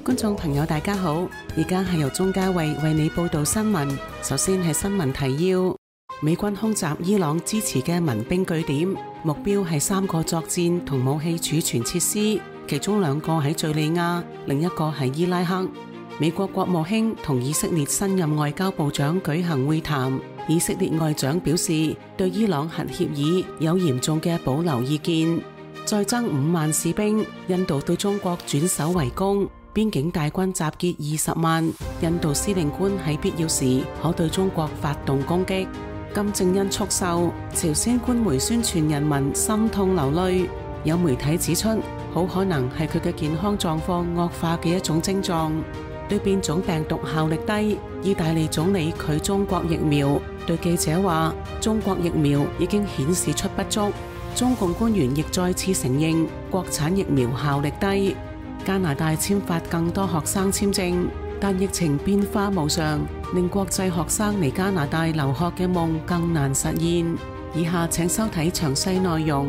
觀眾朋友大家好，而家係由鍾嘉慧為你報道新聞。首先係新聞提要：美軍空襲伊朗支持嘅民兵據點，目標係3個作戰同武器儲存設施，其中2個喺敘利亞，另一個係伊拉克。美國國務卿同以色列新任外交部長舉行會談，以色列外長表示對伊朗核協議有嚴重嘅保留意見。再增5萬士兵，印度對中國轉守為攻，邊境大軍集結20萬，印度司令官喺必要時可對中國發動攻擊。金正恩猝逝，朝鮮官媒宣傳人民心痛流淚，有媒體指出好可能係佢嘅健康狀況惡化嘅一種症狀。對變種病毒效力低，意大利總理拒中國疫苗，對記者話中國疫苗已經顯示出不足。中共官員亦再次承認國產疫苗效力低。加拿大簽發更多學生簽證，但疫情變化無常，令國際學生嚟加拿大留學嘅夢更難實現。以下請收睇詳細內容。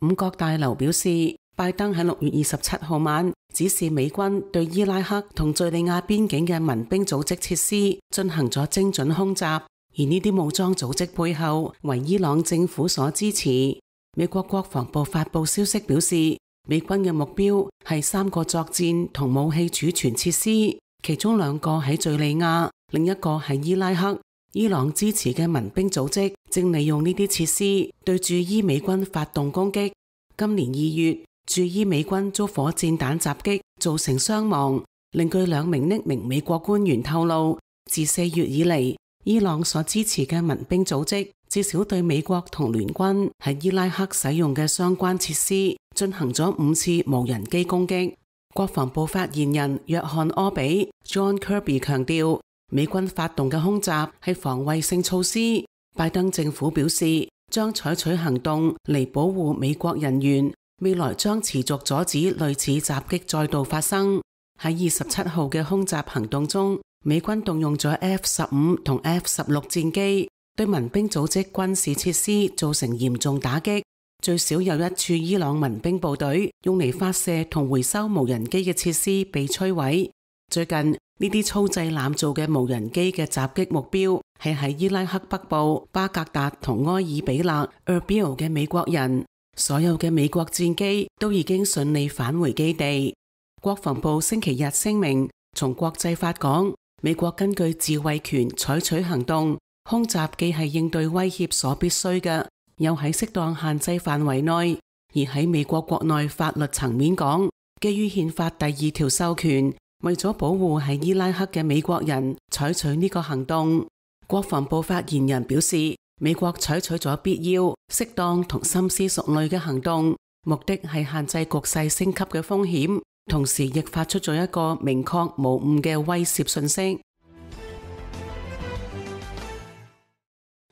五角大樓表示，拜登喺6月27號晚指示美軍對伊拉克同敘利亞邊境嘅民兵組織設施進行咗精準空襲，而呢啲武裝組織背後為伊朗政府所支持。美國國防部發布消息表示，美軍嘅目標係3個作戰同武器儲存設施，其中2個喺敘利亞，另一個係伊拉克。伊朗支持嘅民兵組織正利用呢啲設施對駐伊美軍發動攻擊。今年2月，駐伊美軍遭火箭彈襲擊，造成傷亡。另據2名匿名美國官員透露，自4月以嚟，伊朗所支持嘅民兵組織至少對美國同聯軍喺伊拉克使用嘅相關設施進行咗5次無人機攻擊。國防部發言人約翰柯比 John Kirby 強調，美軍發動嘅空襲係防衛性措施。拜登政府表示將採取行動嚟保護美國人員，未來將持續阻止類似襲擊再度發生。喺27號嘅空襲行動中，美軍動用咗 F-15 同 F-16 戰機，對民兵組織軍事設施造成嚴重打擊。最少有1處伊朗民兵部隊用嚟發射同回收無人機嘅設施被摧毀。最近呢啲粗製濫造嘅無人機嘅襲擊目標係喺伊拉克北部巴格達同埃爾比勒 Erbil 嘅美國人。所有嘅美國戰機都已經順利返回基地。國防部星期日聲明，從國際法講，美國根據自衛權採取行動，空襲既係應對威脅所必須嘅，又喺適當限制範圍內。而喺美國國內法律層面講，基於憲法第2條授權，為咗保護喺伊拉克嘅美國人，採取呢個行動。國防部發言人表示，美國採取咗必要、適當同深思熟慮嘅行動，目的係限制局勢升級嘅風險，同時亦發出咗一個明確無誤嘅威懾訊息。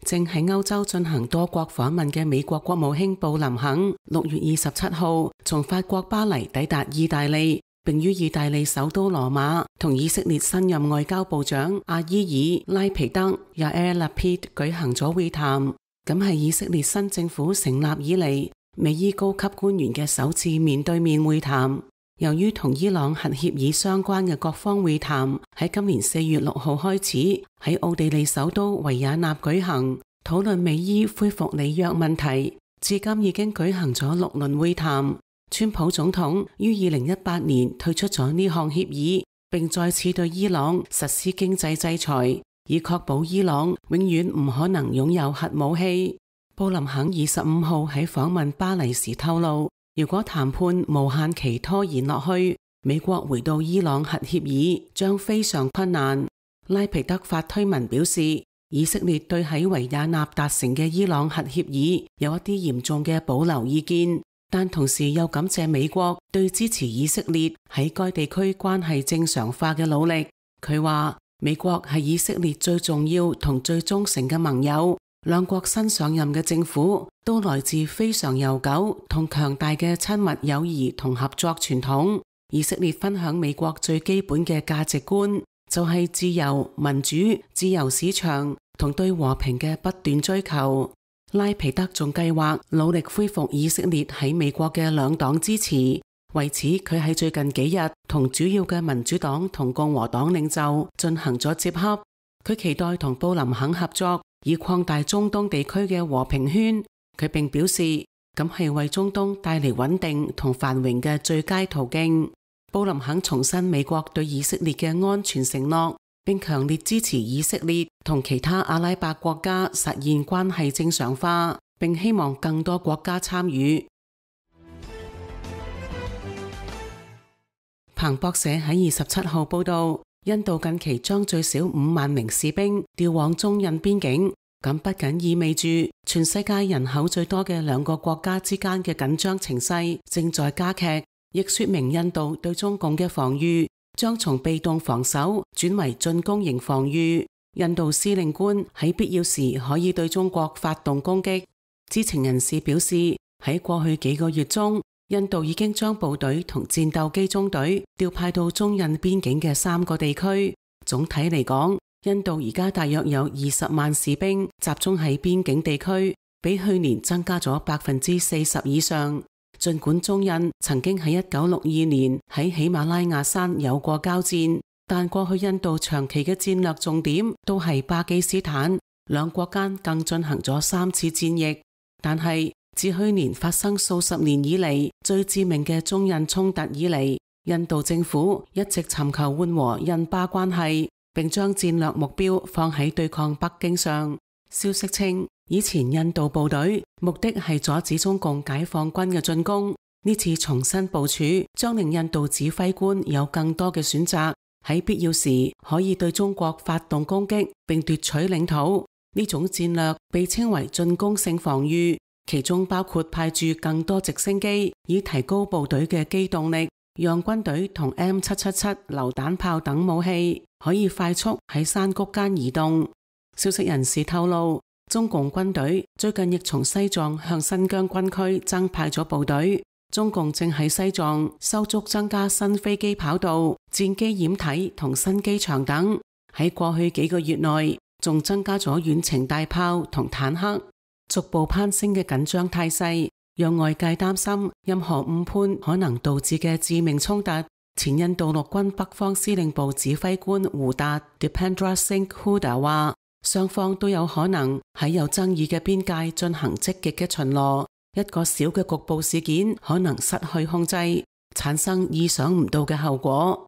正喺歐洲進行多國訪問嘅美國國務卿布林肯6月27號從法國巴黎抵達意大利，並於意大利首都羅馬同以色列新任外交部長阿伊爾拉皮德 Yair Lapid 舉行咗會談。咁係以色列新政府成立以嚟美伊高級官員嘅首次面對面會談。由於同伊朗核協議相關嘅各方會談喺今年4月6號開始喺奧地利首都維也納舉行，討論美伊恢復履約問題，至今已經舉行咗6輪會談。川普總統於2018年退出咗呢項協議，並再次對伊朗實施經濟制裁，以確保伊朗永遠唔可能擁有核武器。布林肯25號喺訪問巴黎時透露，如果談判無限期拖延落去，美國回到伊朗核協議將非常困難。拉皮德發推文表示，以色列對喺維也納達成嘅伊朗核協議有一啲嚴重嘅保留意見，但同時又感謝美國對支持以色列喺該地區關係正常化嘅努力。佢話美國係以色列最重要同最忠誠嘅盟友，兩國新上任嘅政府都來自非常悠久同強大嘅親密友誼同合作傳統。以色列分享美國最基本嘅價值觀，就係自由、民主、自由市場同對和平嘅不斷追求。拉皮德仲計劃努力恢復以色列喺美國嘅兩黨支持，為此，佢喺最近幾日同主要嘅民主黨同共和黨領袖進行咗接洽。佢期待同布林肯合作，以擴大中東地區嘅和平圈。佢並表示，咁係為中東帶嚟穩定同繁榮嘅最佳途徑。布林肯重申美國對以色列嘅安全承諾，並強烈支持以色列同其他阿拉伯國家實現關係正常化，並希望更多國家參與。彭博社喺27號報道，印度近期將最少5萬名士兵調往中印邊境，咁不僅意味住全世界人口最多嘅2個國家之間嘅緊張情勢正在加劇，亦說明印度對中共嘅防禦將從被動防守轉為進攻型防禦。印度司令官喺必要時可以對中國發動攻擊。知情人士表示，喺過去幾個月中，印度已經將部隊同戰鬥機中隊調派到中印邊境嘅3個地區。總體嚟講，印度而家大約有20萬士兵集中喺邊境地區，比去年增加咗40%以上。儘管中印曾經喺1962年喺喜馬拉雅山有過交戰，但過去印度長期嘅戰略重點都係巴基斯坦，兩國間更進行咗3次戰役。但係自去年發生數十年以嚟最致命嘅中印衝突以嚟，印度政府一直尋求緩和印巴關係，並將戰略目標放喺對抗北京上。消息稱，以前印度部隊目的係阻止中共解放軍嘅進攻，呢次重新部署將令印度指揮官有更多嘅選擇，喺必要時可以對中國發動攻擊並奪取領土。呢種戰略被稱為進攻性防禦，其中包括派駐更多直升機，以提高部隊嘅機動力，讓軍隊同 M777 榴彈炮等武器可以快速喺山谷間移動。消息人士透露，中共軍隊最近亦從西藏向新疆軍區增派咗部隊。中共正喺西藏修築增加新飛機跑道、戰機掩體同新機場等。喺過去幾個月內，仲增加咗遠程大炮同坦克。逐步攀升嘅緊張態勢，讓外界擔心任何誤判可能導致嘅致命衝突。前印度陸軍北方司令部指揮官胡達 Dipendra Singh Hooda 話，雙方都有可能喺有爭議嘅邊界進行積極嘅巡邏，一個小嘅局部事件可能失去控制，產生意想唔到嘅後果。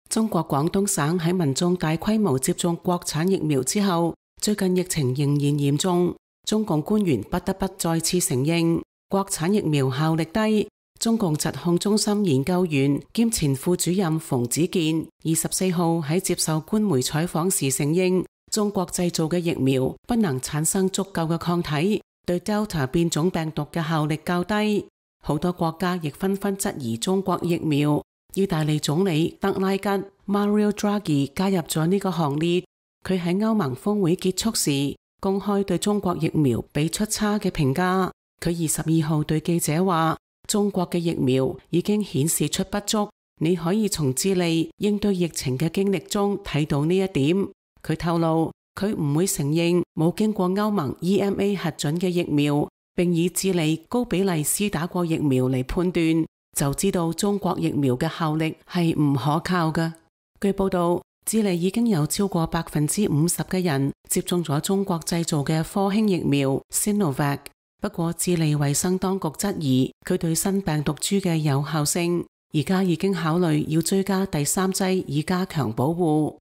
中國廣東省喺民眾大規模接種國產疫苗之後，最近疫情仍然嚴重，中共官員不得不再次承認國產疫苗效力低。中共疾控中心研究員兼前副主任馮子健24號喺接受官媒採訪時承認，中國製造嘅疫苗不能產生足夠嘅抗體，對 Delta 變種病毒嘅效力較低。好多國家亦紛紛質疑中國疫苗。意大利總理德拉吉 Mario Draghi 加入咗呢個行列。佢喺歐盟峰會結束時公開對中國疫苗俾出差嘅評價。佢22號對記者話，中國嘅疫苗已經顯示出不足，你可以從智利應對疫情嘅經歷中睇到呢一點。佢透露，佢唔會承認冇經過歐盟 EMA 核准嘅疫苗，並以智利高比例施打過疫苗嚟判斷，就知道中國疫苗嘅效力係唔可靠嘅。據報道，智利已經有超過50%嘅人接種咗中國製造嘅科興疫苗 Sinovac。不過，智利衛生當局質疑佢對新病毒株嘅有效性，而家已經考慮要追加第3劑以加強保護。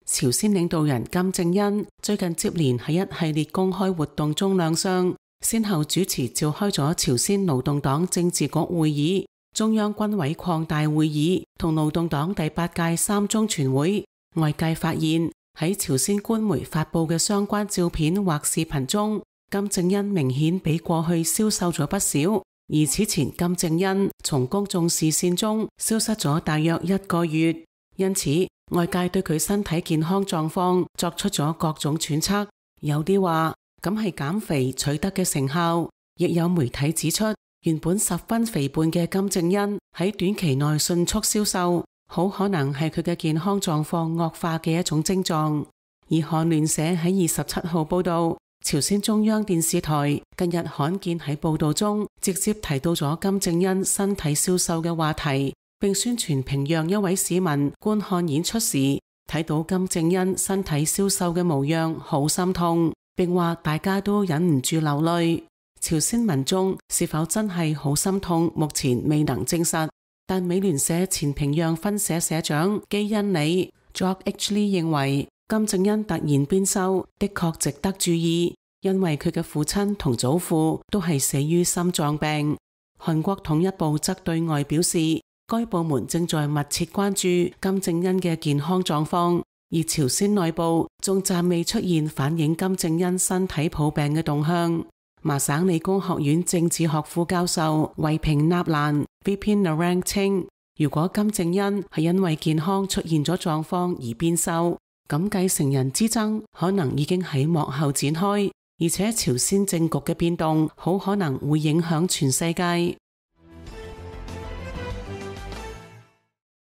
朝鮮領導人金正恩最近接連喺一系列公開活動中亮相，先後主持召開咗朝鮮勞動黨政治局會議、中央軍委擴大會議同勞動黨第8屆3中全會。外界發現，喺朝鮮官媒發佈嘅相關照片或視頻中，金正恩明顯比過去消瘦咗不少，而此前金正恩從公眾視線中消失咗大約1個月，因此外界對佢身體健康狀況作出咗各種揣測，有啲話咁係減肥取得嘅成效，亦有媒體指出，原本十分肥胖嘅金正恩喺短期內迅速消瘦，好可能係佢嘅健康狀況惡化嘅一種徵狀。而韓聯社喺27號報道，朝鮮中央電視台近日罕見喺報道中直接提到咗金正恩身體消瘦嘅話題，並宣傳平壤一位市民觀看演出時睇到金正恩身體消瘦嘅模樣，好心痛，並話大家都忍唔住流淚。朝鮮民眾是否真係好心痛，目前未能證實，但美聯社前平壤分社社長基恩里 George H. Lee 認為金正恩突然變瘦的確值得注意，因為佢嘅父親同祖父都係死於心臟病。韓國統一部則對外表示，該部門正在密切關注金正恩嘅健康狀況，而朝鮮內部仲暫未出現反映金正恩身體抱病嘅動向。麻省理工學院政治學副教授維平納蘭 Vipin Narang 稱，如果金正恩係因為健康出現咗狀況而變瘦，咁繼承人之爭可能已經喺幕後展開，而且朝鮮政局嘅變動好可能會影響全世界。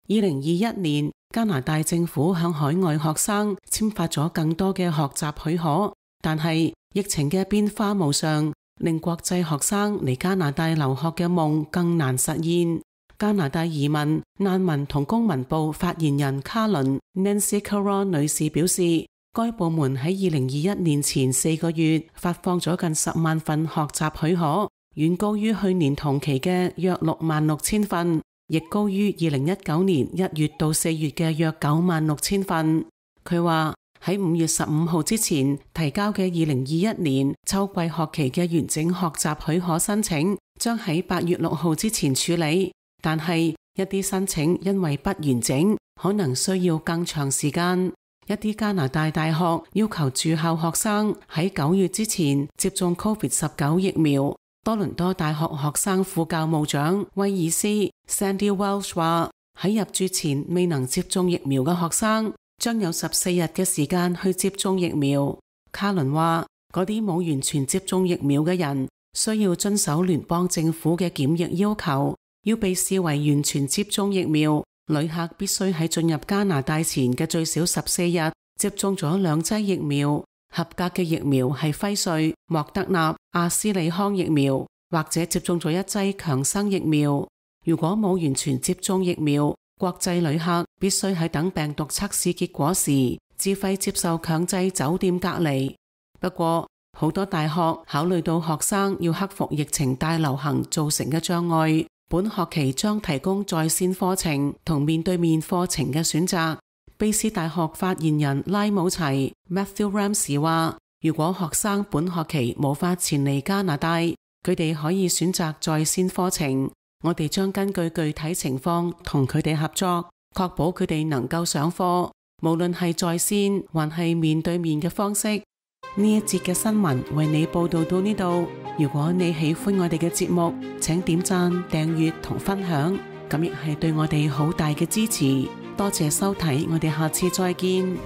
2021年，加拿大政府向海外學生簽發咗更多嘅學習許可，但係疫情嘅變化無常，令國際學生嚟加拿大留學嘅夢更難實現。加拿大移民、難民同公民部發言人卡倫 Nancy Caron 女士表示，該部門喺2021年前4個月發放咗近10萬份學習許可，遠高於去年同期嘅約66000份，亦高於2019年1月到4月嘅約96000份。佢話喺5月15號之前提交嘅2021年秋季學期嘅完整學習許可申請，將喺8月6號之前處理，但係一啲申請因為不完整，可能需要更長時間。一啲加拿大大學要求駐校學生喺9月之前接種 COVID-19 疫苗。多倫多大學學生副教務長威爾斯 Sandy Welsh 話，喺入住前未能接種疫苗嘅學生將有14日嘅時間去接種疫苗。卡倫話，嗰啲冇完全接種疫苗嘅人需要遵守聯邦政府嘅檢疫要求，要被視為完全接種疫苗。旅客必須喺進入加拿大前嘅最少14日接種咗2劑疫苗。合格嘅疫苗係輝瑞、莫德納、阿斯利康疫苗，或者接種咗1劑強生疫苗。如果冇完全接種疫苗，國際旅客必須喺等病毒測試結果時自費接受強制酒店隔離。不過，好多大學考慮到學生要克服疫情大流行造成嘅障礙，本學期將提供在線課程同面對面課程嘅選擇。卑斯大學發言人拉姆齊 Matthew Ramsey 話，如果學生本學期無法前嚟加拿大，佢哋可以選擇在線課程。我哋將根據具體情況同佢哋合作，確保佢哋能夠上課，無論係在線還係面對面嘅方式。呢一節嘅新聞為你報道到呢度。如果你喜歡我哋嘅節目，請點讚、訂閱同分享，咁亦係對我哋好大嘅支持。多謝收睇，我哋下次再見。